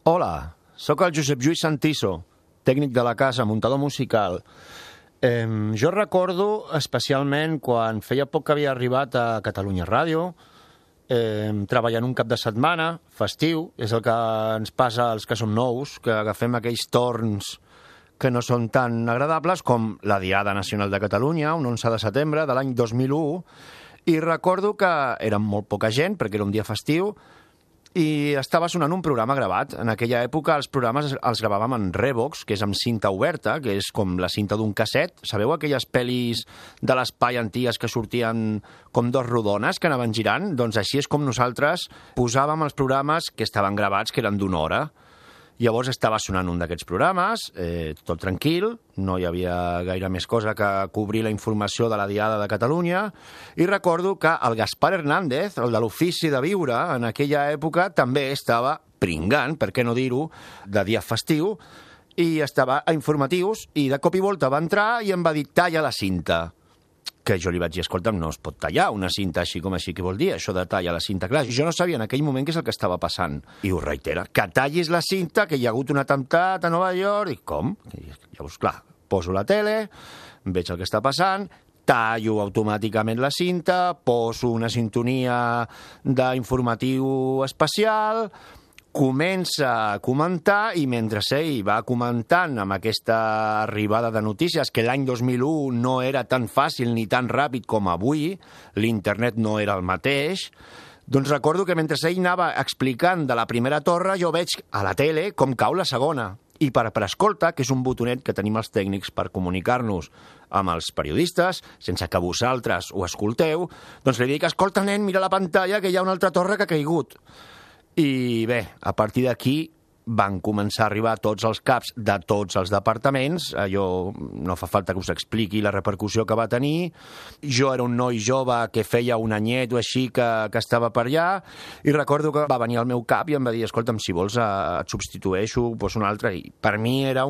Hola, sóc el Josep Lluís Santiso, tècnic de la casa, muntador musical. Jo recordo especialment quan feia poc que havia arribat a Catalunya Ràdio, treballant un cap de setmana, festiu, és el que ens passa als que som nous, que agafem aquells torns que no són tan agradables com la Diada Nacional de Catalunya, un 11 de setembre de l'any 2001, i recordo que érem molt poca gent, perquè era un dia festiu, i estava sonant un programa gravat. En aquella època els programes els gravàvem en Revox, que és amb cinta oberta, que és com la cinta d'un casset. Sabeu aquelles pel·lis de l'espai antigues que sortien com dos rodones que anaven girant? Doncs així és com nosaltres posàvem els programes que estaven gravats, que eren d'una hora. Llavors estava sonant un d'aquests programes, tot tranquil, no hi havia gaire més cosa que cobrir la informació de la Diada de Catalunya, i recordo que el Gaspar Hernández, el de l'Ofici de Viure, en aquella època també estava pringant, per què no dir-ho, de dia festiu, i estava a informatius, i de cop i volta va entrar i em va dir talla la cinta. Que jo li vaig dir, escolta'm, no es pot tallar una cinta així com així, què vol dir això de tallar la cinta? Clar, jo no sabia en aquell moment què és el que estava passant. I ho reitera, que tallis la cinta, que hi ha hagut un atemptat a Nova York. I com? Llavors, clar, poso la tele, veig el que està passant, tallo automàticament la cinta, poso una sintonia d'informatiu especial, comença a comentar, i mentre ell va comentant amb aquesta arribada de notícies, que l'any 2001 no era tan fàcil ni tan ràpid com avui, l'internet no era el mateix, doncs recordo que mentre ell anava explicant de la primera torre, jo veig a la tele com cau la segona. I per escolta, que és un botonet que tenim els tècnics per comunicar-nos amb els periodistes, sense que vosaltres ho escolteu, doncs li dic, escolta, nen, mira la pantalla, que hi ha una altra torre que ha caigut. I bé, a partir d'aquí van començar a arribar tots els caps de tots els departaments. Allò no fa falta que us expliqui la repercussió que va tenir. Jo era un noi jove que feia un anyet o així que estava per allà, i recordo que va venir al meu cap i em va dir, escolta'm, si vols et substitueixo, poso un altre. I per mi era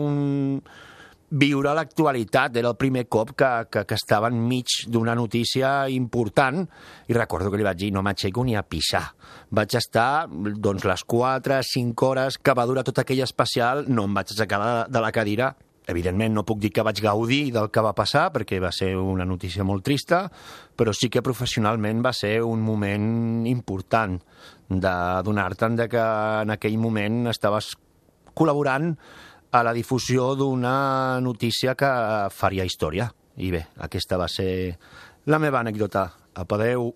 viure l'actualitat, era el primer cop que estava enmig d'una notícia important, i recordo que li vaig dir, no m'aixeco ni a pixar. Vaig estar, doncs, les 4-5 hores que va durar tot aquell especial, no em vaig aixecar de la cadira. Evidentment no puc dir que vaig gaudir del que va passar, perquè va ser una notícia molt trista, però sí que professionalment va ser un moment important de donar-te'n que en aquell moment estaves col·laborant a la difusió d'una notícia que faria història. I bé, aquesta va ser la meva anècdota. Apa, adeu.